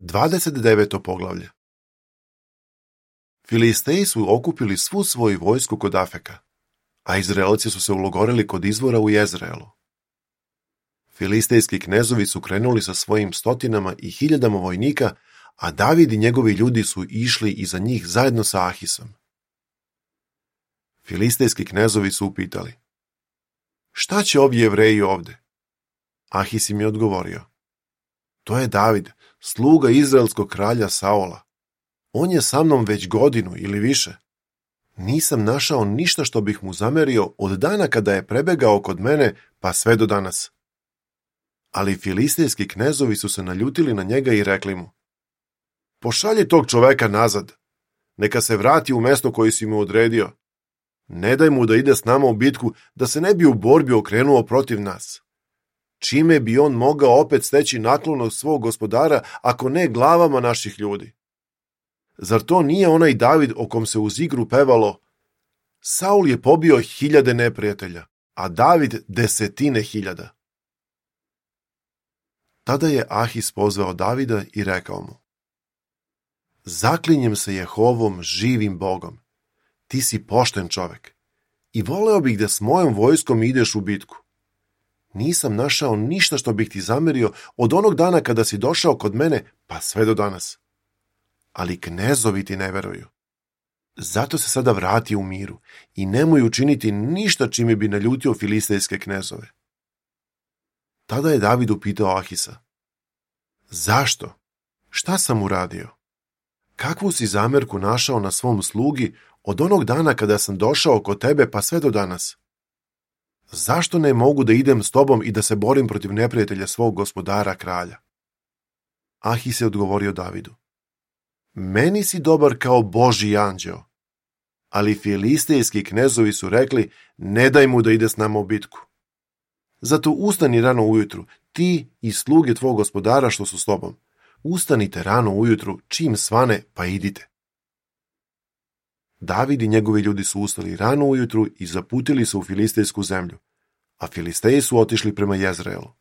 29. poglavlje. Filisteji su okupili svu svoju vojsku kod Afeka, a Izraelci su se ulogorili kod izvora u Jezreelu. Filistejski knezovi su krenuli sa svojim stotinama i hiljadama vojnika, a David i njegovi ljudi su išli iza njih zajedno sa Ahisom. Filistejski knezovi su upitali: šta će ovi Jevreji ovde? Ahis im je odgovorio: to je David, sluga izraelskog kralja Saola. On je sa mnom već godinu ili više. Nisam našao ništa što bih mu zamerio od dana kada je prebegao kod mene pa sve do danas. Ali filistejski knezovi su se naljutili na njega i rekli mu: pošalji tog čoveka nazad, neka se vrati u mesto koje si mu odredio. Ne daj mu da ide s nama u bitku, da se ne bi u borbi okrenuo protiv nas. Čime bi on mogao opet steći naklonost svog gospodara, ako ne glavama naših ljudi? Zar to nije onaj David o kom se uz igru pevalo: Saul je pobio 1000 neprijatelja, a David 10.000? Tada je Ahis pozvao Davida i rekao mu: zaklinjem se Jehovom, živim Bogom, ti si pošten čovek i voleo bih da s mojom vojskom ideš u bitku. Nisam našao ništa što bih ti zamerio od onog dana kada si došao kod mene pa sve do danas. Ali knezovi ti ne veruju. Zato se sada vrati u miru i nemoj učiniti ništa čime bi naljutio filistejske knezove. Tada je David upitao Ahisa: zašto? Šta sam uradio? Kakvu si zamerku našao na svom slugi od onog dana kada sam došao kod tebe pa sve do danas? Zašto ne mogu da idem s tobom i da se borim protiv neprijatelja svog gospodara kralja? Ahis je odgovorio Davidu: meni si dobar kao Božji anđeo. Ali filistejski knezovi su rekli: ne daj mu da ide s nama u bitku. Zato ustani rano ujutru, ti i sluge tvog gospodara što su s tobom. Ustanite rano ujutru, čim svane, pa idite. David i njegovi ljudi su ustali rano ujutru i zaputili se u filistejsku zemlju, a Filisteji su otišli prema Jezreelu.